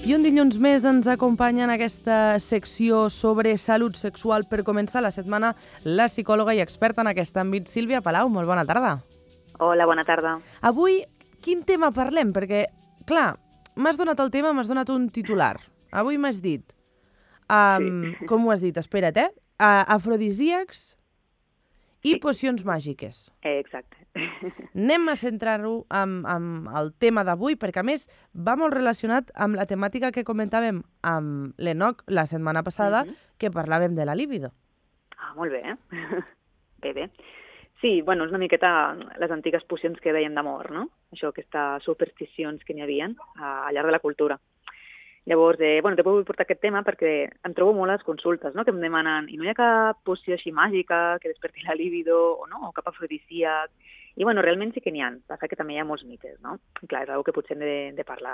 I un dilluns més ens acompanya en aquesta secció sobre salut sexual. Per començar la setmana, la psicòloga i experta en aquest àmbit, Sílvia Palau. Molt bona tarda. Hola, bona tarda. Avui, quin tema parlem? Perquè, clar, m'has donat el tema, m'has donat un titular. Avui m'has dit, com ho has dit? Espera't, afrodisíacs i pocions màgiques. Exacte. Anem a centrar-ho amb el tema d'avui, perquè a més va molt relacionat amb la temàtica que comentàvem amb l'Enoc la setmana passada, que parlàvem de la libido. Ah, molt bé. Bé. Sí, bueno, és una miqueta les antigues pocions que deien d'amor, no? Això, aquestes supersticions que n'hi havia al llarg de la cultura. Llavors, t'he volgut portar aquest tema perquè em trobo molt a les consultes, no?, que em demanen i no hi ha cap poció així màgica que desperti la libido o cap afrodisíac. I, realment sí que n'hi ha. Passa que també hi ha molts mites, no? I, clar, és una que potser hem de parlar,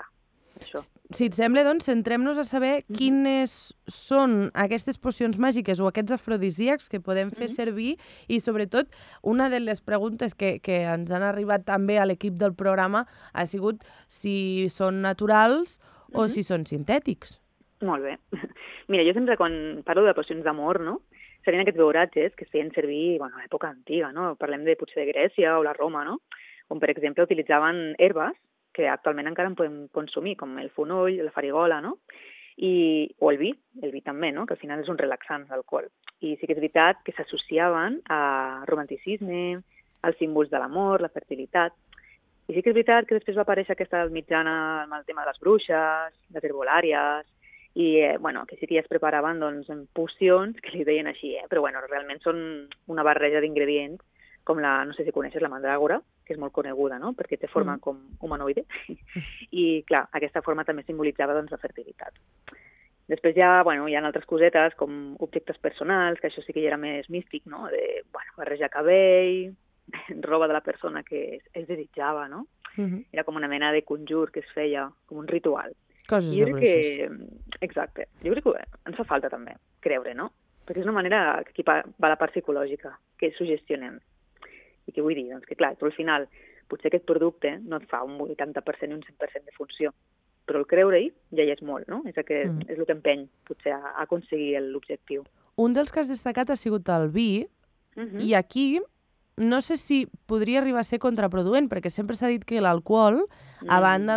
això. Si et sembla, doncs, centrem-nos a saber quines són aquestes pocions màgiques o aquests afrodisíacs que podem fer servir i, sobretot, una de les preguntes que ens han arribat també a l'equip del programa ha sigut si són naturals o si són sintètics. Molt bé. Mira, jo sempre quan parlo de pocions d'amor, no?, serien aquests beuratges que es feien servir a l'època antiga, no? Parlem potser de Grècia o la Roma, no?, on, per exemple, utilitzaven herbes que actualment encara en podem consumir, com el fonoll, la farigola, no?, o el vi també, no?, que al final és un relaxant, l'alcohol. I sí que és veritat que s'associaven a romanticisme, als símbols de l'amor, la fertilitat. I sí que és veritat que després va aparèixer aquesta mitjana amb el tema de les bruixes, les herbolàries, i que sí que ja es preparaven pocions, que li deien així, però realment són una barreja d'ingredients, com no sé si coneixes la mandràgora, que és molt coneguda, no?, perquè té forma com humanoide, i clar, aquesta forma també simbolitzava la fertilitat. Després hi ha altres cosetes, com objectes personals, que això sí que ja era més místic, no?, de barrejar cabell, roba de la persona que es desitjava, no? Era com una mena de conjur que es feia, com un ritual. Coses de bruixes. Exacte. Jo crec que ens fa falta també creure, no? Perquè és una manera que aquí va la part psicològica, que sugestionem. I què vull dir? Doncs que clar, tu al final, potser aquest producte no et fa un 80% i un 100% de funció, però el creure-hi ja hi és molt, no? És el que empeny, potser, a aconseguir l'objectiu. Un dels que has destacat ha sigut el vi, i aquí no sé si podria arribar a ser contraproduent, perquè sempre s'ha dit que l'alcohol, a banda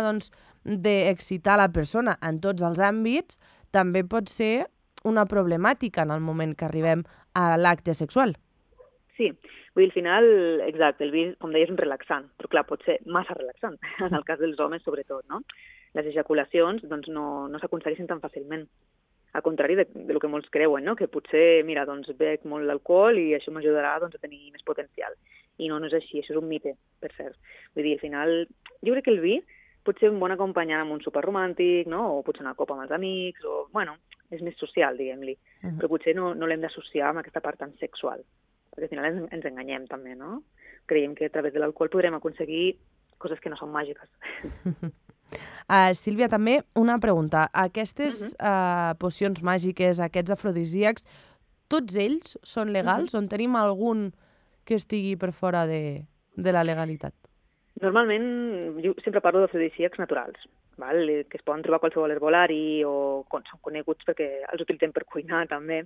d'excitar la persona en tots els àmbits, també pot ser una problemàtica en el moment que arribem a l'acte sexual. Sí, vull dir, al final, exacte, el vi, com deies, és un relaxant, però clar, pot ser massa relaxant, en el cas dels homes sobretot, no? Les ejaculacions no s'aconsegueixen tan fàcilment. Al contrari del que molts creuen, no?, que potser, mira, bec molt l'alcohol i això m'ajudarà a tenir més potencial. I no és així, això és un mite, per cert. Vull dir, al final, jo crec que el vi pot ser un bon acompanyant amb un sopar romàntic, no?, o potser una copa amb els amics, o, és més social, diguem-li. Però potser no l'hem d'associar amb aquesta part tan sexual, perquè al final ens enganyem també, no? Creiem que a través de l'alcohol podrem aconseguir coses que no són màgiques. Sílvia, també una pregunta. Aquestes pocions màgiques, aquests afrodisíacs, tots ells són legals? On tenim algun que estigui per fora de la legalitat? Normalment, jo sempre parlo d'afrodisíacs naturals, que es poden trobar a qualsevol herbolari o són coneguts perquè els utilitzem per cuinar també,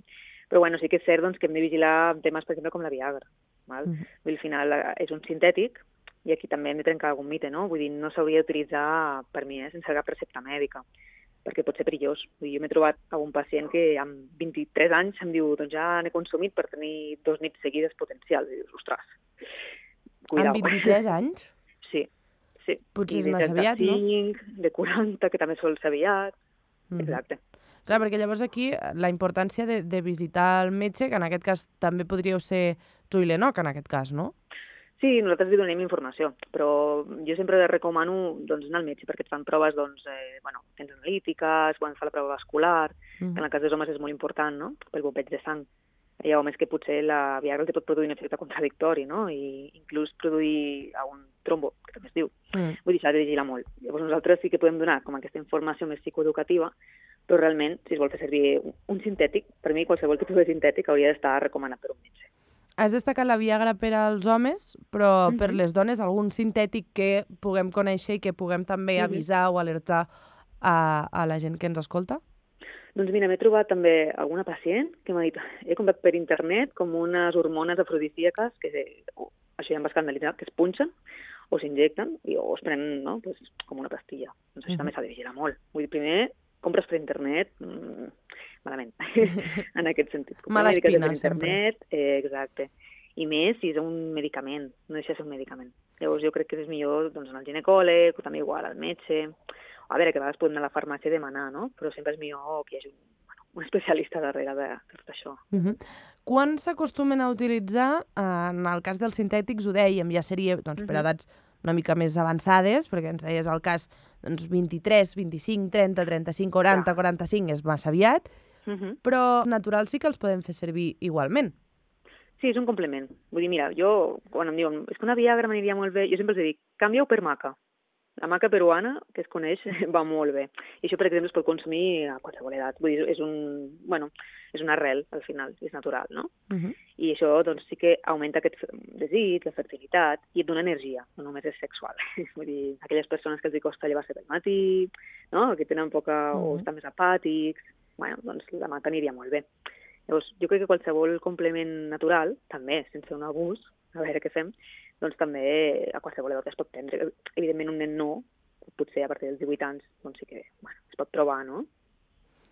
però sí que és cert que hem de vigilar temes, per exemple, com la Viagra. Al final és un sintètic, i aquí també hem de trencar algun mite, no? Vull dir, no s'hauria d'utilitzar, per mi, sense cap recepta mèdica, perquè pot ser perillós. Vull dir, jo m'he trobat algun pacient que amb 23 anys em diu, doncs ja n'he consumit per tenir 2 nits seguides potencials. I dius, ostres, cuidao. Amb 23 anys? Sí. Potser és massa aviat, no? De 40, que també sol ser aviat. Exacte. Clar, perquè llavors aquí la importància de visitar el metge, que en aquest cas també podríeu ser tu i l'Enoc, en aquest cas, no? Sí, nosaltres li donem informació, però jo sempre recomano anar al metge perquè et fan proves tens analítiques, quan fa la prova vascular, en el cas dels homes és molt important, no?, pel bombeig de sang. Hi ha homes que potser la Viagra els pot produir un efecte contradictori, no?, i inclús produir un trombo, que també es diu. Vull dir, s'ha de vigilar molt. Llavors nosaltres sí que podem donar com aquesta informació més psicoeducativa, però realment, si es vol fer servir un sintètic, per mi qualsevol tipus de sintètic hauria d'estar recomanat per un metge. Has destacat la Viagra per als homes, però per les dones algun sintètic que puguem conèixer i que puguem també avisar o alertar a la gent que ens escolta? Doncs mira, m'he trobat també alguna pacient que m'ha dit he comprat per internet com unes hormones afrodisíaques que això ja em va escandalitzar, que es punxen o s'injecten o es prenen, no? Pues, com una pastilla. Doncs això també s'ha de vigilar molt. Vull dir, primer, compres per internet, malament, en aquest sentit. Mala espina, internet, exacte. I més si és un medicament, no deixa de ser un medicament. Llavors jo crec que és millor doncs, anar al ginecòleg, o també igual al metge. A veure, que a vegades podem anar a la farmàcia i demanar, no? Però sempre és millor que hi hagi un especialista darrere de tot això. Quan s'acostumen a utilitzar, en el cas dels sintètics, ho dèiem, ja seria per edats una mica més avançades, perquè ens deies el cas 23, 25, 30, 35, 40, 45 és massa aviat, però naturals sí que els podem fer servir igualment. Sí, és un complement. Vull dir, mira, jo, quan em diuen, és que una Viagra m'aniria molt bé, jo sempre els dic, canvia-ho per maca. La maca peruana, que es coneix, va molt bé. I això, per exemple, es pot consumir a qualsevol edat. Vull dir, és una arrel, al final, és natural, no? I això, doncs, sí que augmenta aquest desig, la fertilitat, i et dona energia, no només és sexual. Vull dir, aquelles persones que els costa llevar-se pel matí, no? Que tenen poca o estan més apàtics, bueno, doncs la maca aniria molt bé. Llavors, jo crec que qualsevol complement natural, també, sense un abús, a veure què fem, doncs també a qualsevol edat es pot prendre. Evidentment, un nen no, potser a partir dels 18 anys, doncs sí que es pot provar, no?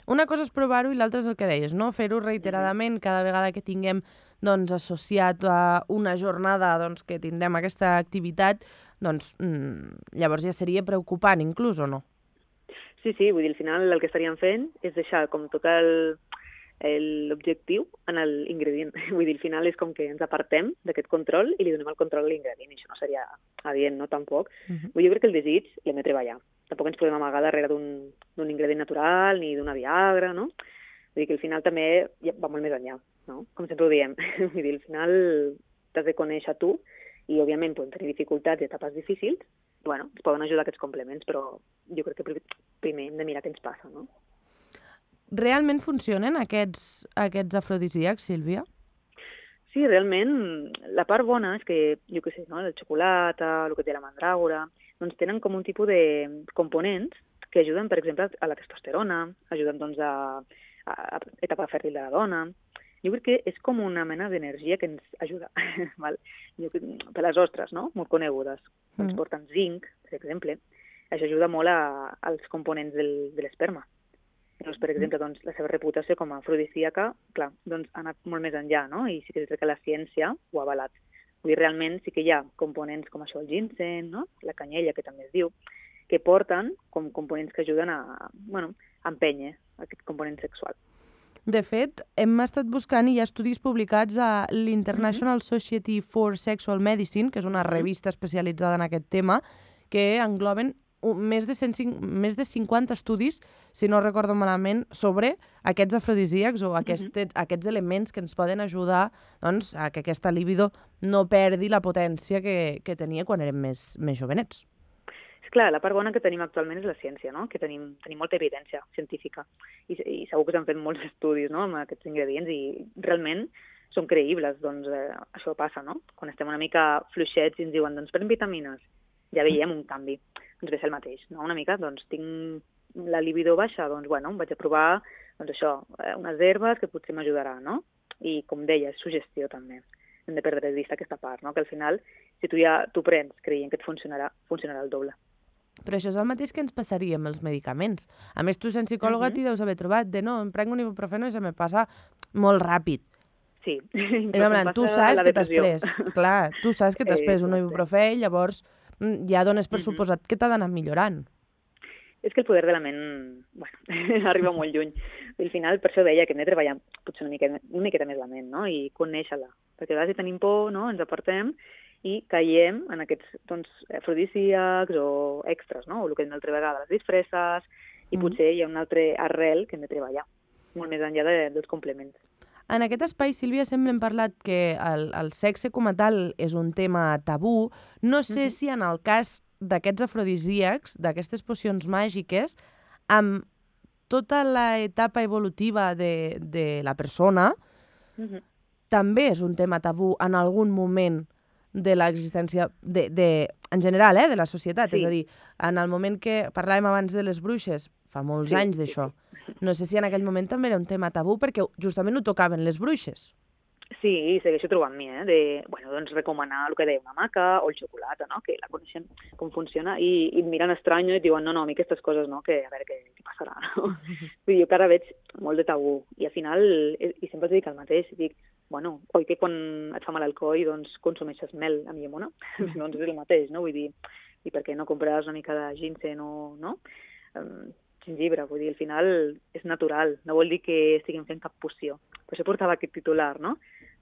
Una cosa és provar-ho i l'altra és el que deies, no? Fer-ho reiteradament cada vegada que tinguem doncs, associat a una jornada doncs, que tindrem aquesta activitat, doncs llavors ja seria preocupant inclús, o no? Sí, vull dir, al final el que estaríem fent és deixar com tot l'objectiu en l'ingredient. Vull dir, al final és com que ens apartem d'aquest control i li donem el control a l'ingredient, i això no seria adient, no? Tampoc. Jo crec que el desig l'hem de treballar. Tampoc ens podem amagar darrere d'un ingredient natural ni d'una Viagra, no? Vull dir que al final també va molt més enllà, no? Com sempre ho diem. Vull dir, al final t'has de conèixer tu i, òbviament, podem tenir dificultats i etapes difícils. Bueno, ens poden ajudar aquests complements, però jo crec que primer hem de mirar què ens passa, no? Realment funcionen aquests afrodisíacs, Sílvia? Sí, realment, la part bona és que, jo què sé, no? El xocolata, el que té la mandràgora, doncs tenen com un tipus de components que ajuden, per exemple, a la testosterona, ajuden doncs, a etapa fèrtil de la dona. Jo crec que és com una mena d'energia que ens ajuda, val? Per les ostres, no? Molt conegudes. Ens porten zinc, per exemple. Això ajuda molt als components de l'esperma. Doncs, per exemple, doncs, la seva reputació com a afrodisíaca, clar, doncs, ha anat molt més enllà, no? I sí que és que la ciència ho ha avalat. Vull dir, realment sí que hi ha components com això, el ginseng, no? La canyella, que també es diu, que porten com components que ajuden a empènyer aquest component sexual. De fet, hem estat buscant i hi ha estudis publicats a l'International Society for Sexual Medicine, que és una revista especialitzada en aquest tema, que engloben més de 50 estudis, si no recordo malament, sobre aquests afrodisíacs o aquests elements que ens poden ajudar doncs, a que aquesta libido no perdi la potència que tenia quan érem més jovenets. És clar, la part bona que tenim actualment és la ciència, no? Que tenim molta evidència científica i segur que s'han fet molts estudis, no? Amb aquests ingredients i realment són creïbles. Doncs això passa, no? Quan estem una mica fluixets i ens diuen doncs pren vitamines, ja veiem un canvi. Doncs ve el mateix, no? Una mica, doncs tinc la libido baixa, doncs bueno, vaig a provar doncs això, unes herbes que potser m'ajudarà, no? I com deia, sugestió també. Hem de perdre de vista aquesta part, no? Que al final, si tu prens creient que et funcionarà el doble. Però això és el mateix que ens passaria amb els medicaments. A més, tu, sent psicòloga, t'hi deus haver trobat de no, em prenc un ibuprofeno i se me passa molt ràpid. Sí. Tu saps que t'has pres. Clar, tu saps que t'has pres un ibuprofè i llavors ja dones per suposat que t'ha d'anar millorant. És que el poder de la ment, bueno, arriba molt lluny. I al final, per això deia que hem de treballar potser una miqueta més la ment, no? I conèixer-la. Perquè a vegades si tenim por, no? Ens apartem i caiem en aquests afrodisíacs o extras, no? O el que hem d'altra vegada, les disfresses, i potser hi ha un altre arrel que hem de treballar, molt més enllà dels complements. En aquest espai, Sílvia, sempre hem parlat que el sexe com a tal és un tema tabú. No sé si en el cas d'aquests afrodisíacs, d'aquestes pocions màgiques, amb tota l'etapa evolutiva de la persona, també és un tema tabú en algun moment de l'existència, en general, de la societat. Sí. És a dir, en el moment que parlàvem abans de les bruixes, fa molts anys d'això. No sé si en aquell moment també era un tema tabú, perquè justament ho tocaven les bruixes. Sí, segueixo trobant mi, doncs recomanar el que deia una maca o el xocolata, no? Que la coneixen com funciona i et miren estrany i et diuen no, a mi aquestes coses no, que a veure què passarà, no? Vull dir, jo ara veig molt de tabú i al final, i sempre els dic el mateix, dic, bueno, oi que quan et fa mal el coll, doncs consumeixes mel amb llimona? Doncs és el mateix, no? Vull dir, i per què no compraràs una mica de ginseng o, no? Gingebre, vull dir, al final és natural, no vol dir que estiguem fent cap poció. Per això portava aquest titular, no?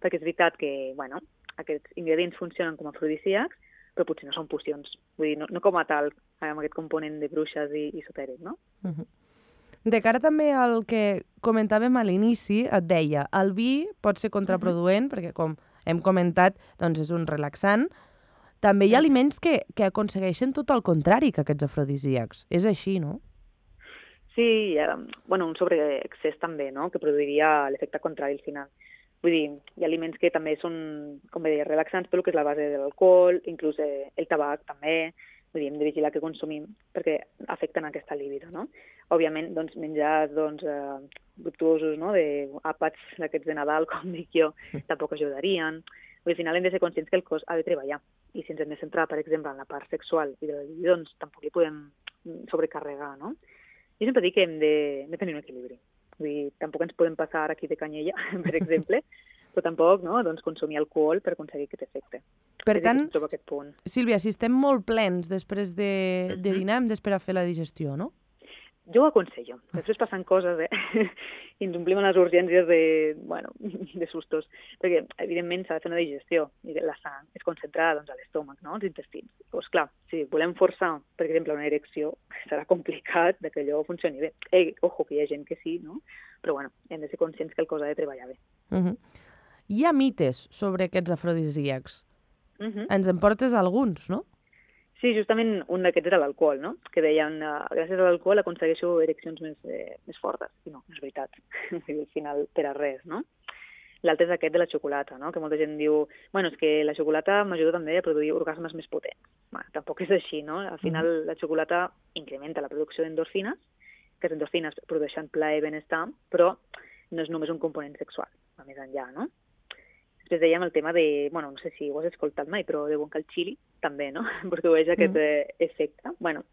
Perquè és veritat que, bueno, aquests ingredients funcionen com a afrodisíacs, però potser no són pocions. Vull dir, no com a tal, amb aquest component de bruixes i esotèric, no? De cara també al que comentàvem a l'inici, et deia, el vi pot ser contraproduent, perquè com hem comentat, doncs és un relaxant. També hi ha aliments que aconsegueixen tot el contrari que aquests afrodisíacs. És així, no? Sí, un sobreexcés també, no?, que produiria l'efecte contrari al final. Vull dir, hi ha aliments que també són, com bé deia, relaxants, però que és la base de l'alcohol, inclús el tabac també. Vull dir, hem de vigilar què consumim perquè afecten aquesta libido, no? Òbviament, doncs, menjars dubtosos, no?, d'àpats d'aquests de Nadal, com dic jo, tampoc ajudarien. Vull dir, al final hem de ser conscients que el cos ha de treballar. I si ens hem de centrar, per exemple, en la part sexual i de la libido, doncs tampoc li podem sobrecarregar, no? Jo sempre dic que hem de tenir un equilibri. Vull dir, tampoc ens podem passar aquí de canyella, per exemple, però tampoc, no?, doncs consumir alcohol per aconseguir aquest efecte. Per tant, aquest punt. Sílvia, si estem molt plens després de dinar, hem d'esperar a fer la digestió, no? Jo ho aconsello. Després passen coses, i ens omplim les urgències de sustos. Perquè, evidentment, s'ha de fer una digestió i la sang es concentra doncs, a l'estómac, no?, als intestins. Doncs clar, si volem forçar, per exemple, una erecció, serà complicat que allò funcioni bé. Ojo, que hi ha gent que sí, no? Però, hem de ser conscients que el cos ha de treballar bé. Hi ha mites sobre aquests afrodisíacs. Ens en portes alguns, no? Sí, justament un d'aquests era l'alcohol, no? Que deien, gràcies a l'alcohol aconsegueixo ereccions més fortes. I no és veritat. Al final, per a res, no? L'altre és aquest de la xocolata, no? Que molta gent diu, és que la xocolata m'ajuda també a produir orgasmes més potents. Tampoc és així, no? Al final, la xocolata incrementa la producció d'endorfines, que les endorfines produeixen plaer i benestar, però no és només un component sexual, va més enllà, no? Després dèiem el tema de, no sé si ho has escoltat mai, però diuen que el xili també, no?, produeix aquest efecte. No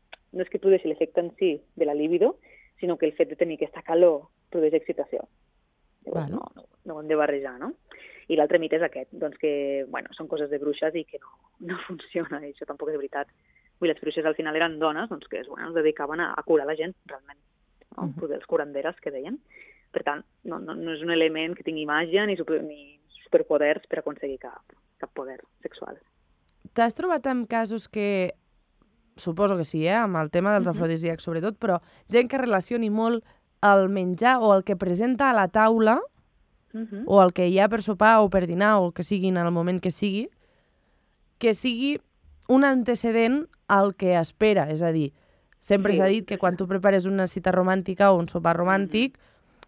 és que produeixi l'efecte en si de la libido, sinó que el fet de tenir aquesta calor produeix excitació. Llavors, no ho hem de barrejar, no? I l'altre mite és aquest, doncs que, són coses de bruixes i que no funciona, i això tampoc és veritat. Les bruixes al final eren dones doncs, que es dedicaven a curar la gent, realment, no? Els curanderes, que deien. Per tant, no és un element que tingui màgia ni superpoders per aconseguir cap poder sexual. T'has trobat amb casos que, suposo que sí, amb el tema dels afrodisíacs sobretot, però gent que relacioni molt el menjar o el que presenta a la taula o el que hi ha per sopar o per dinar o el que sigui en el moment que sigui un antecedent al que espera. És a dir, sempre s'ha dit que quan tu prepares una cita romàntica o un sopar romàntic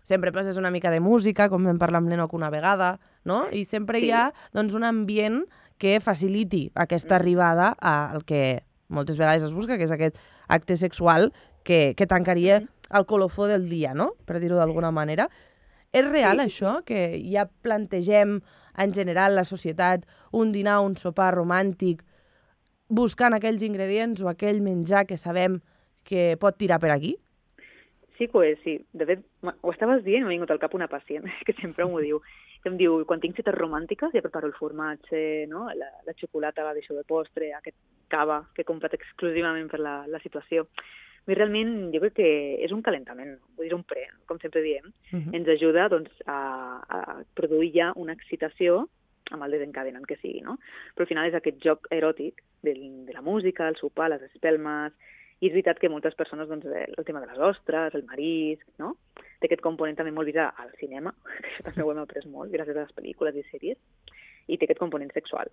sempre passes una mica de música, com vam parlar amb l'Enoc una vegada, no? I sempre hi ha doncs, un ambient que faciliti aquesta arribada al que moltes vegades es busca, que és aquest acte sexual que tancaria el colofó del dia, no?, per dir-ho d'alguna manera. És real això, que ja plantegem en general la societat un dinar, un sopar romàntic, buscant aquells ingredients o aquell menjar que sabem que pot tirar per aquí? Sí que ho és, sí. De fet, ho estaves dient i m'ha vingut al cap una pacient que sempre m'ho diu. Que em diu, quan tinc cites romàntiques ja preparo el formatge, no? La xocolata la deixo de postre, aquest cava que he comprat exclusivament per la situació. I realment jo crec que és un calentament, vull dir, un pre, com sempre diem. Ens ajuda doncs, a produir ja una excitació amb el desencadenant que sigui, no? Però al final és aquest joc eròtic de la música, el sopar, les espelmes. I és veritat que moltes persones, doncs, el tema de les ostres, el marisc, no?, té aquest component també molt vist al cinema, que això també ho hem après molt, gràcies a les pel·lícules i sèries, i té aquest component sexual.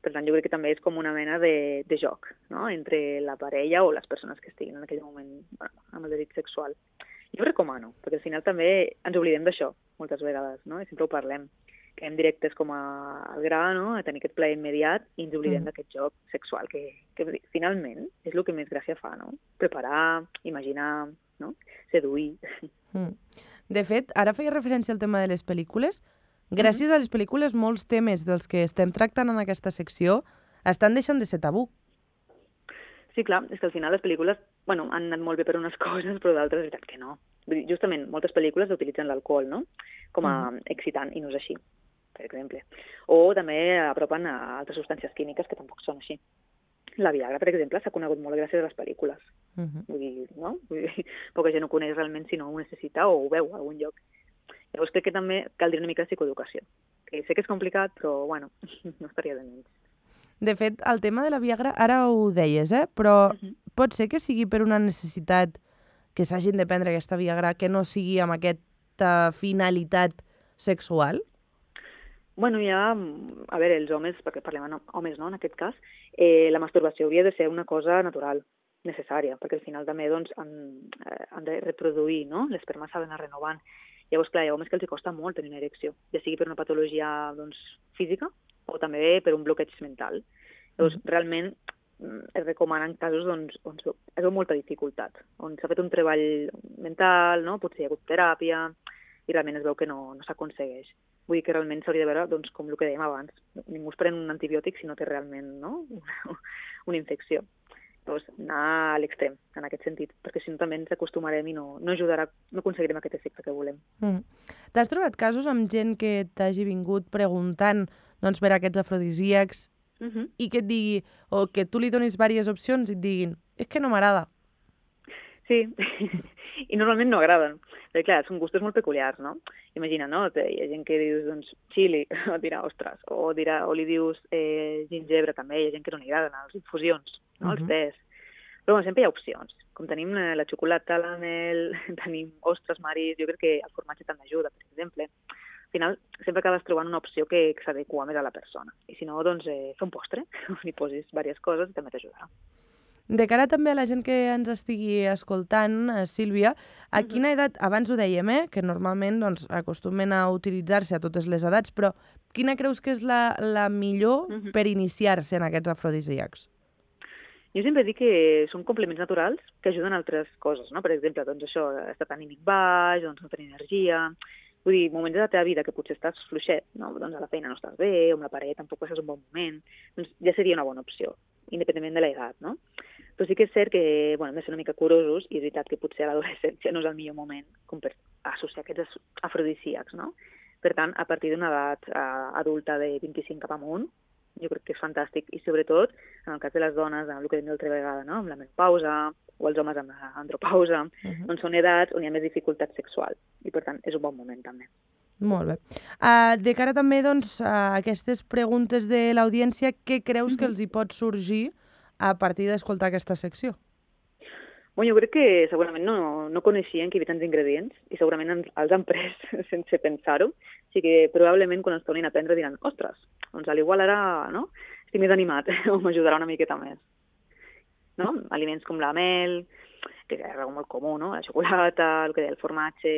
Per tant, jo crec que també és com una mena de joc, no?, entre la parella o les persones que estiguin en aquell moment amb el desig sexual. Jo ho recomano, perquè al final també ens oblidem d'això moltes vegades, no?, i sempre ho parlem, que hem directes com al gra, no?, a tenir aquest plaer immediat i ens oblidem d'aquest joc sexual que finalment és el que més gràcia fa, no? Preparar, imaginar, no? Seduir. De fet, ara feia referència al tema de les pel·lícules. Gràcies a les pel·lícules, molts temes dels que estem tractant en aquesta secció estan deixant de ser tabú. Sí, clar, és que al final les pel·lícules han anat molt bé per unes coses, però d'altres és veritat que no. Vull dir, justament, moltes pel·lícules utilitzen l'alcohol, no?, com a excitant, i no és així, per exemple. O també apropen a altres substàncies químiques que tampoc són així. La Viagra, per exemple, s'ha conegut molt gràcies a les pel·lícules. Vull dir, no? Poca gent ho coneix realment si no ho necessita o ho veu a algun lloc. Llavors crec que també caldria una mica de psicoeducació. Que sé que és complicat, però, bueno, no estaria de menys. De fet, el tema de la Viagra, ara ho deies, però pot ser que sigui per una necessitat que s'hagin de prendre aquesta Viagra que no sigui amb aquesta finalitat sexual? Bueno, ja, a veure, els homes, perquè parlem amb homes, no?, en aquest cas, la masturbació hauria de ser una cosa natural, necessària, perquè al final també doncs, han de reproduir, no?, l'esperma s'ha d'anar renovant. Llavors, clar, hi ha homes que els costa molt tenir una erecció, ja sigui per una patologia doncs, física o també per un bloqueig mental. Llavors, realment, es recomana en casos on es veu molta dificultat, on s'ha fet un treball mental, no?, potser hi ha hagut teràpia, i realment es veu que no s'aconsegueix. Vull dir que realment s'hauria de veure, doncs, com el que dèiem abans, ningú es pren un antibiòtic si no té realment, no?, una infecció. Llavors, anar a l'extrem, en aquest sentit, perquè si no també ens acostumarem i no ajudarà, no aconseguirem aquest efecte que volem. T'has trobat casos amb gent que t'hagi vingut preguntant doncs, per aquests afrodisíacs i que et digui, o que tu li donis diverses opcions i et diguin, és que no m'agrada? Sí, i normalment no agraden. Perquè, clar, són gustos molt peculiars, no? Imagina, no? Hi ha gent que dius, doncs, xili, o dirà, ostres, o li dius gingebre, també, hi ha gent que no li agraden, les infusions, no? Els tés. Però bueno, sempre hi ha opcions. Com tenim la xocolata, la mel, tenim ostres, maris, jo crec que el formatge també ajuda, per exemple. Al final, sempre acabes trobant una opció que s'adequa més a la persona. I si no, doncs, fer un postre, on hi posis diverses coses i també t'ajudarà. De cara també a la gent que ens estigui escoltant, Sílvia, a quina edat, abans ho dèiem, que normalment doncs, acostumen a utilitzar-se a totes les edats, però quina creus que és la millor per iniciar-se en aquests afrodisíacs? Jo sempre dic que són complements naturals que ajuden a altres coses, no? Per exemple, doncs això, estat anímic baix, doncs no tenir energia. Vull dir, moments de la teva vida que potser estàs fluixet, no? Doncs a la feina no estàs bé, o amb la parella tampoc és un bon moment, doncs ja seria una bona opció, independentment de l'edat, no? Però sí que és cert que hem de ser una mica curosos i és veritat que potser a l'adolescència no és el millor moment com per associar aquests afrodisíacs, no? Per tant, a partir d'una edat adulta de 25 cap amunt, jo crec que és fantàstic. I sobretot, en el cas de les dones, amb el que hem dit l'altra vegada, no?, amb la menopausa, o els homes amb l'andropausa, doncs són edats on hi ha més dificultat sexual. I per tant, és un bon moment també. Molt bé. De cara també doncs, a aquestes preguntes de l'audiència, què creus que els hi pot sorgir a partir d'escoltar aquesta secció? Bueno, jo crec que segurament no coneixien que hi havia tants ingredients i segurament els han pres sense pensar-ho. O sigui que probablement quan els tornin a prendre diran, ostres, doncs a l'igual ara no? Estic més animat o m'ajudarà una miqueta més. No? Aliments com la mel, que és algo molt comú, no? La xocolata, el que deia el formatge.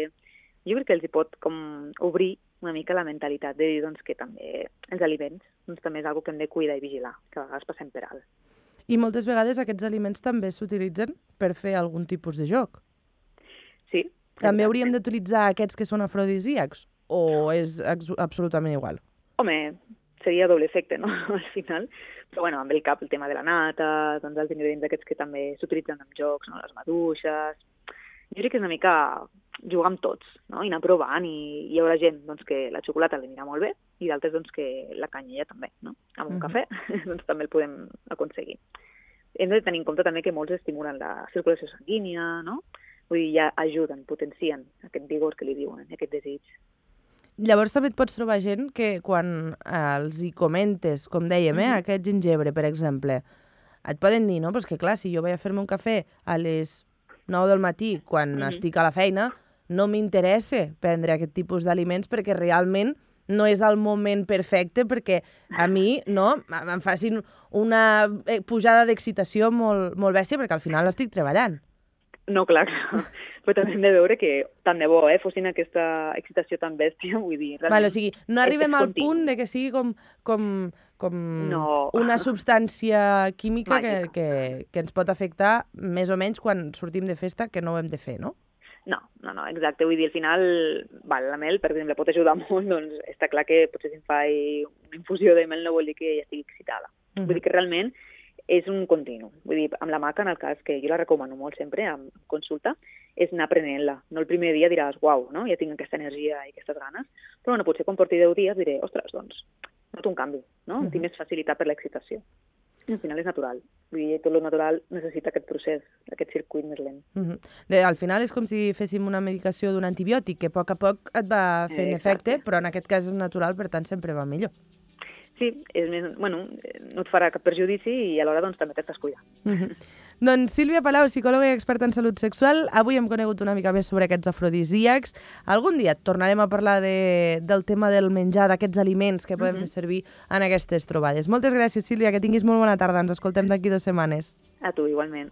Jo crec que els hi pot com obrir una mica la mentalitat de dir doncs, que també els aliments doncs, també és algo que hem de cuidar i vigilar, que a vegades passem per alt. I moltes vegades aquests aliments també s'utilitzen per fer algun tipus de joc. Sí. També hauríem d'utilitzar aquests que són afrodisíacs o és absolutament igual? Home, seria doble efecte, no?, al final. Però bueno, amb el cap el tema de la nata, doncs els ingredients aquests que també s'utilitzen en jocs, no?, les maduixes. Jo crec que és una mica jugar amb tots, no?, i anar provant, i hi haurà gent doncs, que la xocolata li anirà molt bé i d'altres doncs, que la canyella també, no? Amb un cafè doncs, també el podem aconseguir. Hem de tenir en compte també que molts estimulen la circulació sanguínia, no? Vull dir, ja ajuden, potencien aquest vigor que li diuen, aquest desig. Llavors també et pots trobar gent que quan els hi comentes, com dèiem, aquest gingebre, per exemple, et poden dir, no? Pues que clar, si jo vaig a fer-me un cafè a les 9 del matí, quan estic a la feina, no m'interessa prendre aquest tipus d'aliments perquè realment no és el moment perfecte perquè a mi no, em facin una pujada d'excitació molt, molt bèstia perquè al final estic treballant. No, clar. Però també hem de veure que tant de bo fossin aquesta excitació tan bèstia, vull dir... Vale, o sigui, no arribem al punt de que sigui com una substància química que ens pot afectar més o menys quan sortim de festa, que no ho hem de fer, no? No, exacte. Vull dir, al final, la mel, per exemple, pot ajudar molt, doncs està clar que potser si em faig una infusió de mel no vol dir que ja estigui excitada. Vull dir que realment és un continu. Vull dir, amb la maca, en el cas que jo la recomano molt sempre, en consulta, és anar aprenent-la. No el primer dia diràs, uau, no? Ja tinc aquesta energia i aquestes ganes, però bueno, potser quan porti 10 dies diré, ostres, doncs, noto un canvi, no? Tinc més facilitat per l'excitació. I al final és natural. Vull dir, tot el natural necessita aquest procés, aquest circuit més lent. Al final és com si féssim una medicació d'un antibiòtic, que a poc et va fent efecte, però en aquest cas és natural, per tant sempre va millor. Sí, és més, bueno, no et farà cap perjudici i alhora doncs, també t'estàs cuidant. Doncs Sílvia Palau, psicòloga i experta en salut sexual, avui hem conegut una mica més sobre aquests afrodisíacs. Algun dia tornarem a parlar del tema del menjar, d'aquests aliments que podem fer servir en aquestes trobades. Moltes gràcies, Sílvia, que tinguis molt bona tarda. Ens escoltem d'aquí 2 setmanes. A tu, igualment.